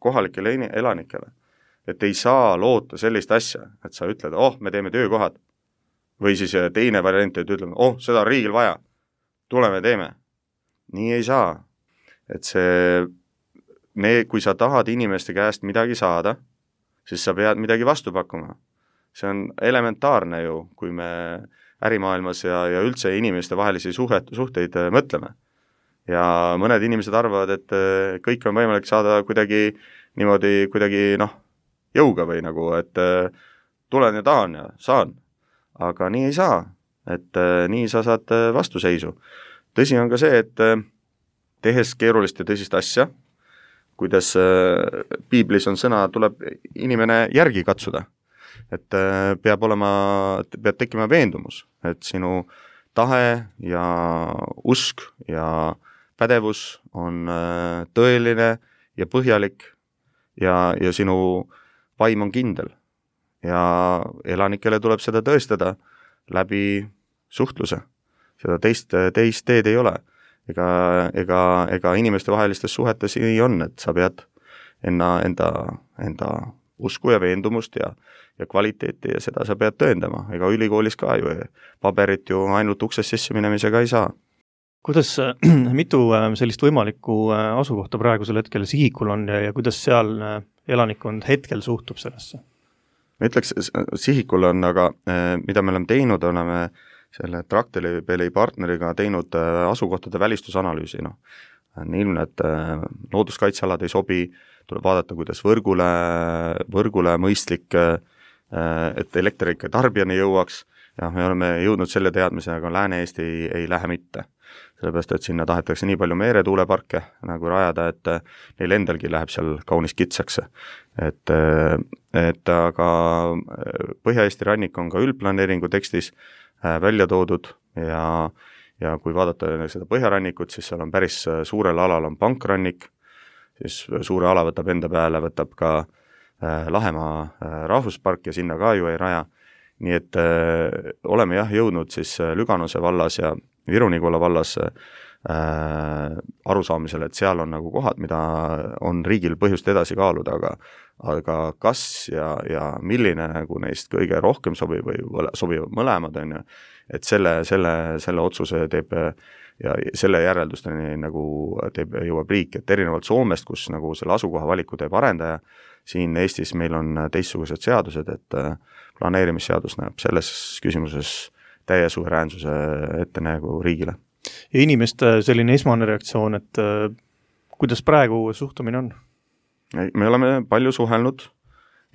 kohalikele elanikele. Et ei saa loota sellist asja, et sa ütled, oh, me teeme töökohad. Või siis teine variant, et ütleme, oh, seda on riigil vaja, tuleme teeme. Nii ei saa. Et see, me, kui sa tahad inimeste käest midagi saada, siis sa pead midagi vastu pakkuma. See on elementaarne ju, kui me ärimaailmas ja, ja üldse inimeste vahelisi suhet, suhteid mõtleme. Ja mõned inimesed arvavad, et kõik on võimalik saada kuidagi niimoodi, kuidagi noh, jõuga või nagu, et tulen ja tahan ja saan. Aga nii ei saa, et nii sa saad vastuseisu. Tõsi on ka see, et tehes keerulist ja tõsist asja, kuidas piiblis on sõna, tuleb inimene järgi katsuda. Et peab olema, peab tekkima veendumus, et sinu tahe ja usk ja pädevus on tõeline ja põhjalik ja, ja sinu vaim on kindel. Ja elanikele tuleb seda tõestada läbi suhtluse. Seda teist, teist teed ei ole. Ega, ega, ega inimeste vahelistes suhetes ei on, et sa pead enda, enda, enda usku ja veendumust ja, ja kvaliteeti ja seda sa pead tõendama. Ega ülikoolis ka ju paberit ju ainult uksest sisse minemisega ei saa. Kuidas, mitu sellist võimalikku asukohta praegusel hetkel Sihikul on ja, ja kuidas seal elanikkond hetkel suhtub sellesse? Ma ütleks, Sihikul on, aga mida me oleme teinud, oleme selle Tracteli partneriga teinud asukohtade välistusanalüüsi. No. On ilmne, et looduskaitsealad ei sobi, tuleb vaadata, kuidas võrgule, võrgule mõistlik, et elekter ikka tarbijani jõuaks ja me oleme jõudnud selle teadmise, aga Lääne-Eesti ei, ei lähe mitte. Sellepärast, et sinna tahetakse nii palju meeretuuleparke nagu rajada, et neil endalgi läheb seal kaunis kitsaks. Et, et aga Põhja-Eesti rannik on ka üldplaneeringu tekstis välja toodud ja, ja kui vaadata seda põhjarannikut, siis seal on päris suurel alal on pankrannik, siis suure ala võtab enda peale, võtab ka Lahemaa rahvuspark ja sinna ka ju ei raja. Nii et äh, oleme jah jõudnud siis Lüganuse vallas ja Viru-Nigula vallas äh, arusaamisele, et seal on nagu kohad, mida on riigil põhjust edasi kaaluda, aga, aga kas ja, ja milline nagu neist kõige rohkem sobib või sobivad mõlemad on ju, et selle, selle, selle otsuse teeb ja selle järeldusteni nagu teeb, jõuab riik, et erinevalt Soomest, kus nagu selle asukoha valiku teeb arendaja, siin Eestis meil on teistsugused seadused, et planeerimisseadus näeb selles küsimuses täie suveräänsuse ette nagu riigile. Ja inimeste selline esmane reaktsioon, et äh, kuidas praegu suhtumine on? Me oleme palju suhelnud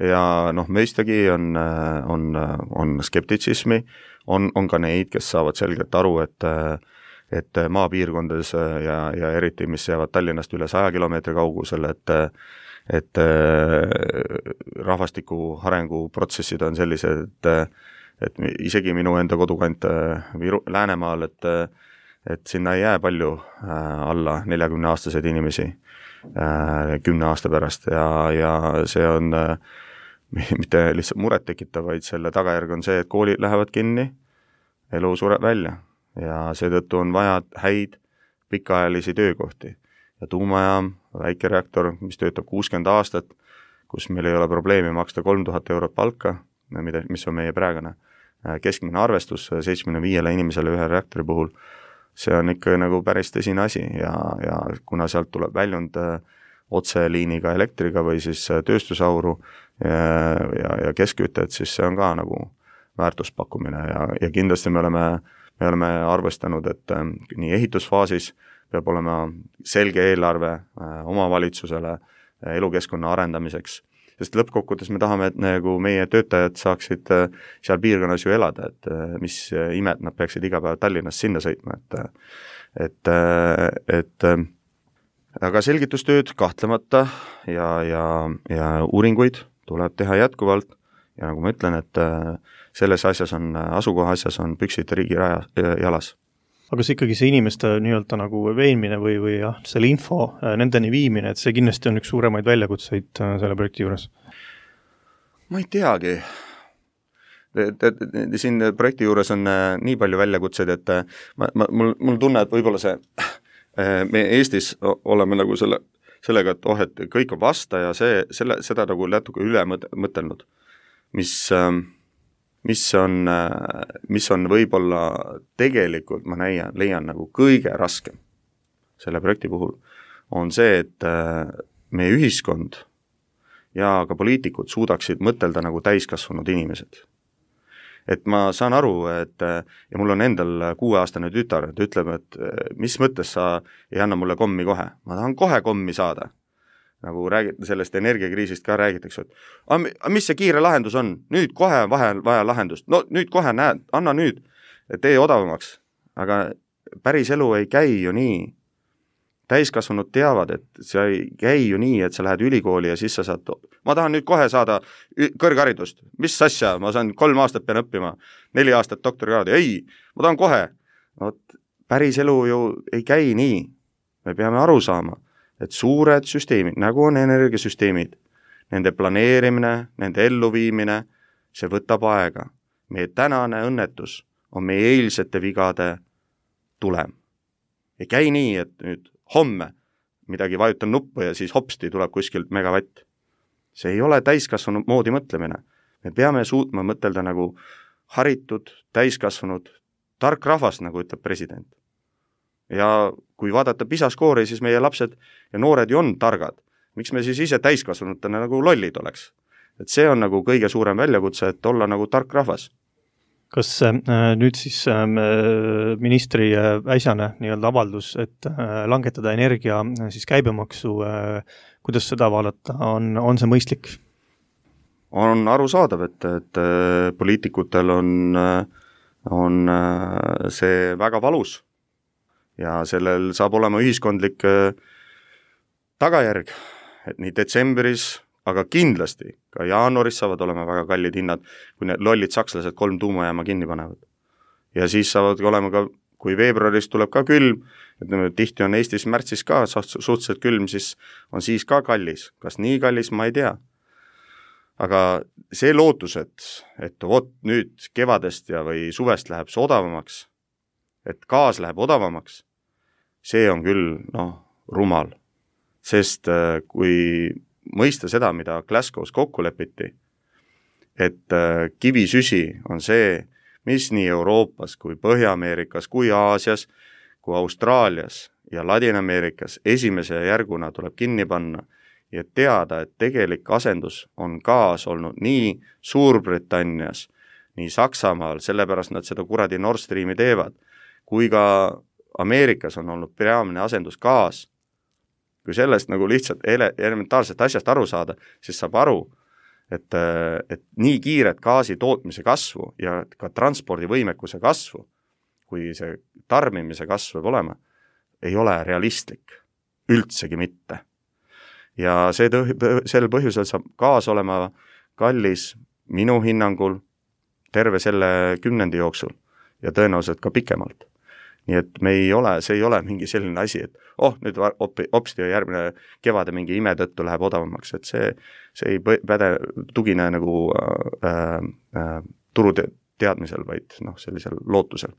ja noh, mõistagi on, on, on skeptitsismi, on, on ka neid, kes saavad selgelt aru, et et maapiirkondades ja, ja eriti, mis jäävad Tallinnast üle saja kilomeetri kaugusel, et et rahvastiku arenguprotsessid on sellised, et, et isegi minu enda kodukant Viru, Läänemaal, et, et sinna ei jää palju alla neljakümne aastaseid inimesi kümne aasta pärast ja, ja see on mitte lihtsalt muret tekitav, vaid selle tagajärg on see, et koolid lähevad kinni, elu sureb välja ja seetõttu on vaja häid pikaajalisi töökohti. Ja tuumajaam, väikereaktor, mis töötab kuuskümmend aastat, kus meil ei ole probleemi maksta kolm tuhat eurot palka, mida, mis on meie praegune keskmine arvestus seitsmekümne viiele inimesele ühe reaktori puhul, see on ikka nagu päris tõsine asi ja, ja kuna sealt tuleb väljund otseliiniga elektriga või siis tööstusauru ja, ja, ja keskkütet, siis see on ka nagu väärtuspakkumine ja, ja kindlasti me oleme, me oleme arvestanud, et nii ehitusfaasis peab olema selge eelarve omavalitsusele elukeskkonna arendamiseks, sest lõppkokkuvõttes me tahame, et nagu meie töötajad saaksid seal piirkonnas ju elada, et mis imed nad peaksid iga päev Tallinnast sinna sõitma, et et, et aga selgitustööd kahtlemata ja, ja, ja uuringuid tuleb teha jätkuvalt ja nagu ma ütlen, et selles asjas on, asukoha asjas on püksid riigi raja, jalas. Aga see ikkagi see inimeste nii-öelda nagu veenmine või, või jah, selle info nendeni viimine, et see kindlasti on üks suuremaid väljakutseid selle projekti juures? Ma ei teagi. Siin projekti juures on nii palju väljakutseid, et ma, ma, mul, mul tunne, et võib-olla see, me Eestis oleme nagu selle, sellega, et oh, et kõik on vasta ja see, selle, seda nagu natuke üle mõtelnud, mis mis on, mis on võib-olla tegelikult, ma näian, leian nagu kõige raskem selle projekti puhul, on see, et meie ühiskond ja ka poliitikud suudaksid mõtelda nagu täiskasvanud inimesed. Et ma saan aru, et ja mul on endal kuueaastane tütar, et ütleb, et mis mõttes sa ei anna mulle kommi kohe, ma tahan kohe kommi saada. Nagu räägite sellest energiakriisist ka räägitakse, et aga mis see kiire lahendus on? Nüüd kohe vahe, vaja lahendust. No nüüd kohe näed, anna nüüd, tee odavamaks. Aga päris elu ei käi ju nii. Täiskasvanud teavad, et see ei käi ju nii, et sa lähed ülikooli ja siis sa saad, ma tahan nüüd kohe saada kõrgharidust. Mis asja? Ma saan kolm aastat pean õppima, neli aastat doktorikraadi. Ei, ma tahan kohe. No, päris elu ju ei käi nii. Me peame aru saama, et suured süsteemid, nagu on energiasüsteemid, nende planeerimine, nende elluviimine, see võtab aega. Meie tänane õnnetus on meie eilsete vigade tulem. Ei käi nii, et nüüd homme midagi vajutan nuppu ja siis hopsti tuleb kuskilt megavatt. See ei ole täiskasvanud moodi mõtlemine. Me peame suutma mõtelda nagu haritud, täiskasvanud, tark rahvas, nagu ütleb president. Ja kui vaadata PISA-skoori, siis meie lapsed ja noored ju on targad. Miks me siis ise täiskasvanutena nagu lollid oleks? Et see on nagu kõige suurem väljakutse, et olla nagu tark rahvas. Kas äh, nüüd siis äh, ministri äh, äsjane nii-öelda avaldus, et äh, langetada energia äh, siis käibemaksu, äh, kuidas seda vaadata, on, on see mõistlik? On arusaadav, et, et äh, poliitikutel on, äh, on äh, see väga valus. Ja sellel saab olema ühiskondlik tagajärg, et nii detsembris, aga kindlasti ka jaanuaris saavad olema väga kallid hinnad, kui need lollid sakslased kolm tuumajaama kinni panevad. Ja siis saavad olema ka, kui veebruaris tuleb ka külm, et tihti on Eestis märtsis ka suhteliselt külm, siis on siis ka kallis. Kas nii kallis, ma ei tea. aga see lootus, et, et vot nüüd kevadest ja või suvest läheb see odavamaks, et gaas läheb odavamaks, see on küll, noh, rumal. Sest kui mõista seda, mida Glasgow's kokku lepiti, et kivisüsi on see, mis nii Euroopas kui Põhja-Ameerikas kui Aasias kui Austraalias ja Ladina-Ameerikas esimese järguna tuleb kinni panna ja teada, et tegelik asendus on gaas olnud nii Suurbritannias, nii Saksamaal, sellepärast nad seda kuradi Nord Streami teevad, kui ka Ameerikas on olnud peamine asendus gaas. Kui sellest nagu lihtsalt ele- elementaarsest asjast aru saada, siis saab aru, et, et nii kiiret gaasi tootmise kasvu ja ka transpordivõimekuse kasvu, kui see tarbimise kasv võib olema, ei ole realistlik, üldsegi mitte. Ja see tõh- sel põhjusel saab gaas olema kallis minu hinnangul terve selle kümnendi jooksul ja tõenäoliselt ka pikemalt. Nii et me ei ole, see ei ole mingi selline asi, et oh, nüüd hopsti järgmine kevade mingi ime tõttu läheb odavamaks, et see, see ei päde tugine nagu äh, äh, turu teadmisel, vaid noh, sellisel lootusel.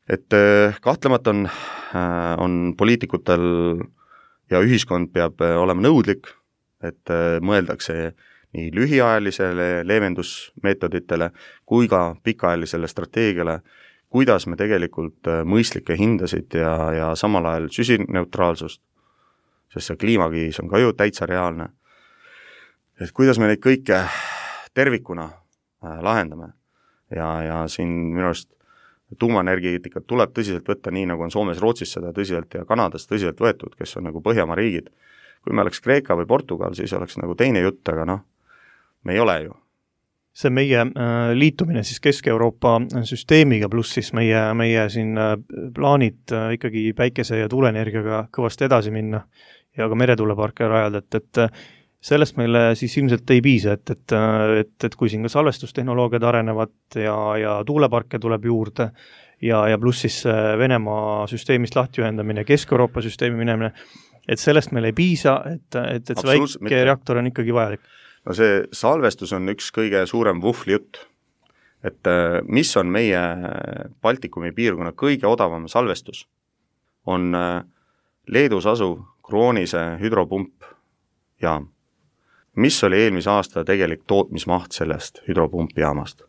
Et äh, kahtlemata on, äh, on poliitikutel ja ühiskond peab olema nõudlik, et äh, mõeldakse nii lühiajalisele leevendusmeetoditele kui ka pikaajalisele strateegiale, kuidas me tegelikult mõistlikke hindasid ja, ja samal ajal süsineutraalsust, sest see kliimakriis on ka ju täitsa reaalne, et kuidas me neid kõike tervikuna lahendame ja, ja siin minu arust tuumaenergeetikat tuleb tõsiselt võtta nii, nagu on Soomes, Rootsis seda tõsiselt ja Kanadas tõsiselt võetud, kes on nagu Põhjamaa riigid. Kui me oleks Kreeka või Portugal, siis oleks nagu teine jutt, aga noh, me ei ole ju. See meie äh, liitumine siis Kesk-Euroopa süsteemiga pluss siis meie, meie siin äh, plaanid äh, ikkagi päikese- ja tuuleenergiaga kõvasti edasi minna ja ka meretuuleparke rajada, et, et sellest meile siis ilmselt ei piisa, et, et, et, et kui siin ka salvestustehnoloogiad arenevad ja, ja tuuleparke tuleb juurde ja, ja pluss siis Venemaa süsteemist lahti ühendamine, Kesk-Euroopa süsteemi minemine, et sellest meil ei piisa, et, et, et see väike reaktor on ikkagi vajalik. No see salvestus on üks kõige suurem vuhli jutt, et mis on meie Baltikumi piirkonna kõige odavam salvestus, on Leedus asuv Kroonise hüdropump jaam. Mis oli eelmise aasta tegelik tootmismaht sellest hüdropumpjaamast?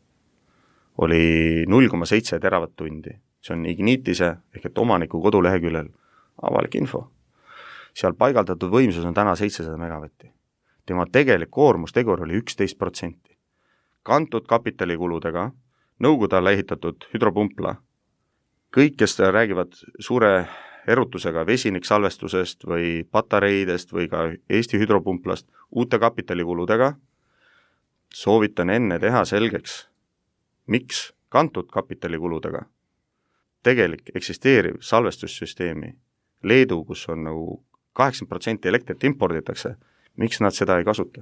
Oli null koma seitse teravatt-tundi. See on Ignitise ehk et omaniku koduleheküljel avalik info. Seal paigaldatud võimsus on täna seitsesada megavatti. Tema tegelik koormustegur oli üksteist protsenti. Kantud kapitalikuludega, nõukogude alla ehitatud hüdropumpla, kõik, kes räägivad suure erutusega vesiniksalvestusest või patareidest või ka Eesti hüdropumplast uute kapitalikuludega, soovitan enne teha selgeks, miks kantud kapitalikuludega tegelik eksisteeriv salvestussüsteemi Leedu, kus on nagu kaheksakümmend protsenti elektrit imporditakse, miks nad seda ei kasuta.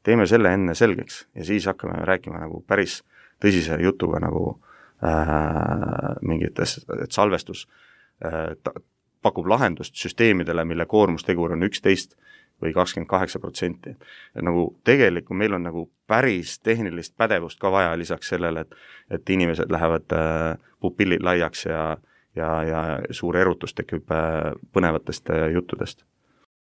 Teeme selle enne selgeks ja siis hakkame rääkima nagu päris tõsise jutuga nagu äh, mingites, et salvestus äh, ta, pakub lahendust süsteemidele, mille koormustegur on üksteist või kakskümmend kaheksa protsenti. Nagu tegelikult meil on nagu päris tehnilist pädevust ka vaja lisaks sellele, et, et inimesed lähevad äh, pupillid laiaks ja, ja, ja suur erutus tekib äh, põnevatest äh, juttudest.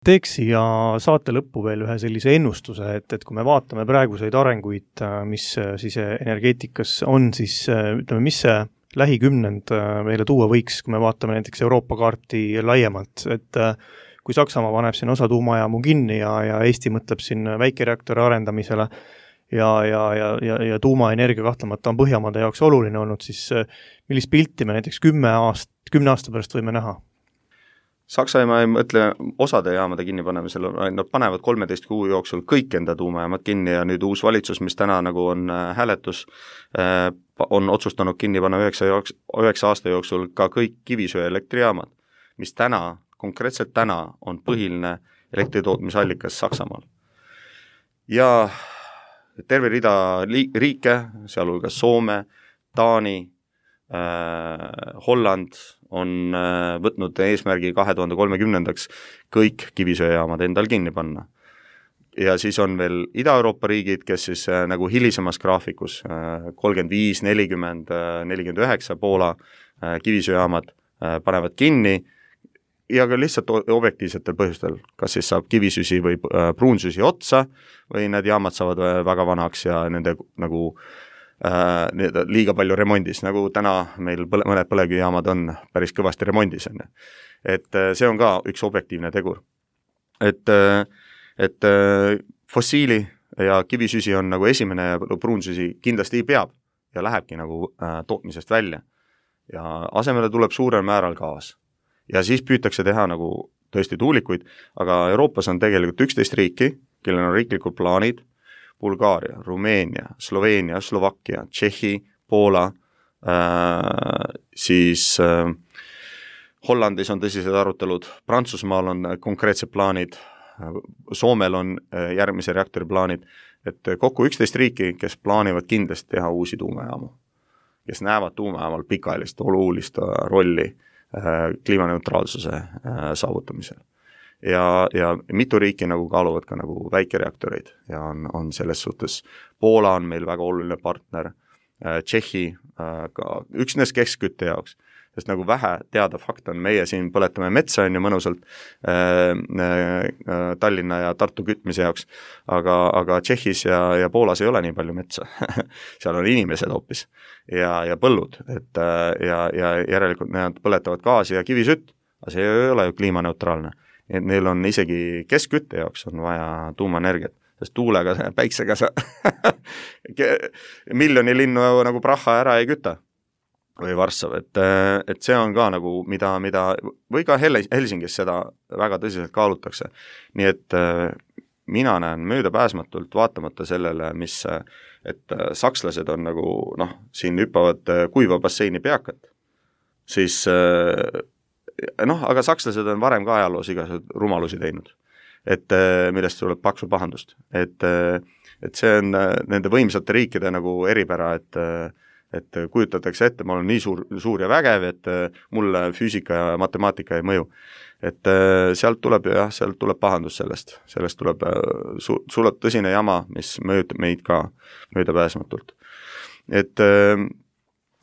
Teeks siia saate lõppu veel ühe sellise ennustuse, et, et kui me vaatame praeguseid arenguid, mis siis energeetikas on, siis ütleme, mis see lähikümnend meile tuua võiks, kui me vaatame näiteks Euroopa kaarti laiemalt, et kui Saksamaa paneb siin osa tuumajaamu kinni ja, ja Eesti mõtleb siin väikereaktori arendamisele ja, ja, ja, ja, ja tuumaenergia kahtlemata on Põhjamaade jaoks oluline olnud, siis millist pilti me näiteks kümme aast, kümne aasta pärast võime näha? Saksamaa ei mõtle osade jaamade kinni panemisel, nad panevad kolmeteist kuu jooksul kõik enda tuumajaamad kinni ja nüüd uus valitsus, mis täna nagu on hääletus, on otsustanud kinni panna üheksa, üheksa aasta jooksul ka kõik kivisöe elektrijaamad, mis täna, konkreetselt täna on põhiline elektritootmisallikas Saksamaal. Ja terve rida riike, sealhulgas Soome, Taani, äh, Holland, on võtnud eesmärgi kahe tuhande kolmekümnendaks kõik kivisöejaamad endal kinni panna. ja siis on veel Ida-Euroopa riigid, kes siis äh, nagu hilisemas graafikus äh, kolmkümmend viis, nelikümmend, nelikümmend üheksa Poola äh, kivisöejaamad äh, panevad kinni ja ka lihtsalt objektiivsetel põhjustel, kas siis saab kivisüsi või äh, pruunsüsi otsa või need jaamad saavad väga vanaks ja nende nagu äh, liiga palju remondis, nagu täna meil põle, mõned põlevkivijaamad on päris kõvasti remondis. On. Et äh, see on ka üks objektiivne tegur. Et, äh, et äh, fossiili ja kivisüsi on nagu esimene ja pruunsüsi kindlasti peab ja lähebki nagu äh, tootmisest välja. Ja asemele tuleb suurel määral gaas. Ja siis püütakse teha nagu tõesti tuulikuid, aga Euroopas on tegelikult üksteist riiki, kellel on riiklikud plaanid, Bulgaaria, Rumeenia, Sloveenia, Slovakkia, Tšehhi, Poola, äh, siis äh, Hollandis on tõsised arutelud, Prantsusmaal on konkreetsed plaanid, Soomel on äh, järgmise reaktori plaanid, et kokku üksteist riiki, kes plaanivad kindlasti teha uusi tuumajaamu, kes näevad tuumajaamal pikaajalist olulist rolli kliimaneutraalsuse saavutamisel. Ja, ja mitu riiki nagu kaaluvad ka nagu väikereaktoreid ja on, on selles suhtes, Poola on meil väga oluline partner, Tšehhi ka üksnes keskkütte jaoks, sest nagu vähe teada fakt on, meie siin põletame metsa on ju mõnusalt äh, äh, Tallinna ja Tartu kütmise jaoks, aga, aga Tšehhis ja, ja Poolas ei ole nii palju metsa seal on inimesed hoopis ja, ja põllud, et äh, ja, ja järelikult nad põletavad gaasi ja kivisütt, aga see ei ole ju kliimaneutraalne, et neil on isegi keskkütte jaoks on vaja tuumaenergiat, sest tuulega, päiksega sa miljoni linnu nagu praha ära ei küta või Varssav, et, et see on ka nagu, mida, mida või ka Helsingis seda väga tõsiselt kaalutakse. Nii et mina näen möödapääsmatult vaatamata sellele, mis, et sakslased on nagu, noh, siin hüppavad kuiva basseini peakad, siis noh, aga sakslased on varem ka ajaloos igasugused rumalusi teinud, et millest tuleb paksu pahandust. Et, et see on nende võimsate riikide nagu eripära, et et kujutatakse ette, ma olen nii suur, suur ja vägev, et mulle füüsika ja matemaatika ei mõju. Et sealt tuleb, jah, sealt tuleb pahandus sellest, sellest tuleb su, sulle tõsine jama, mis mõjutab meid ka möödapääsmatult. Et,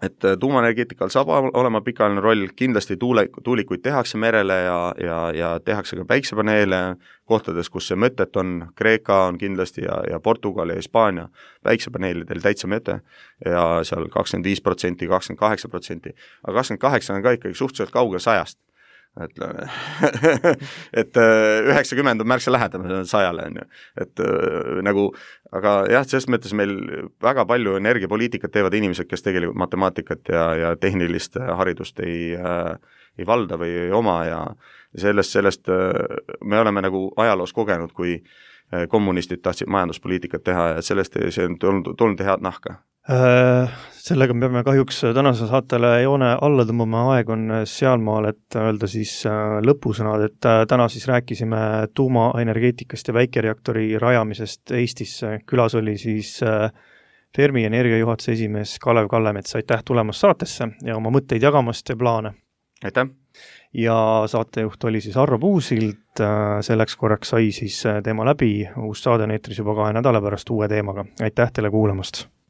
et tuumaenergeetikal saab olema pikaajaline roll, kindlasti tuule, tuulikuid tehakse merele ja, ja, ja tehakse ka päiksepaneele kohtades, kus see mõtet on, Kreeka on kindlasti ja, ja Portugal ja Hispaania päiksepaneelidel täitsa mõte ja seal kakskümmend viis protsenti, kakskümmend kaheksa protsenti, aga kakskümmend kaheksa on ka ikkagi suhteliselt kaugel sajast. Ütleme, et üheksakümmend on märksa lähedame sajale, on ju. Et nagu, aga jah, selles mõttes meil väga palju energiapoliitikat teevad inimesed, kes tegelikult matemaatikat ja, ja tehnilist haridust ei, ei valda või ei oma ja sellest, sellest me oleme nagu ajaloos kogenud, kui kommunistid tahtsid majanduspoliitikat teha ja sellest see on tulnud, tulnud head nahka. Sellega me peame kahjuks tänase saatele joone alla tõmbama, aeg on sealmaal, et öelda siis lõpusõnad, et täna siis rääkisime tuumaenergeetikast ja väikereaktori rajamisest Eestisse. Külas oli siis Fermi energiajuhatuse esimees Kalev Kallemets, aitäh tulemast saatesse ja oma mõtteid jagamast ja plaane. Aitäh! Ja saatejuht oli siis Arro Puusild, selleks korraks sai siis teema läbi, uus saade on eetris juba kahe nädala pärast uue teemaga. Aitäh teile kuulamast!